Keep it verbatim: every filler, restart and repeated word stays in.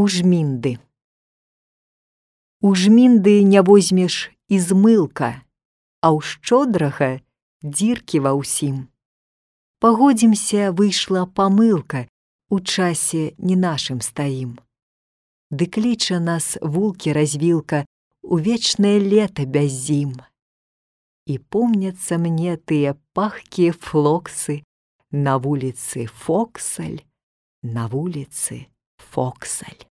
У жмінды. У жмінды не возьмеш і змылка, а ў шчодрага дзіркі ва ўсім. Пагодзімся, выйшла памылка, у часе не нашым стаім. Ды кліча нас вулкі-развілка у вечнае лета без зім. І помняцца мне тыя пахкія флоксы на вуліцы Фоксаль, на вуліцы Фоксаль.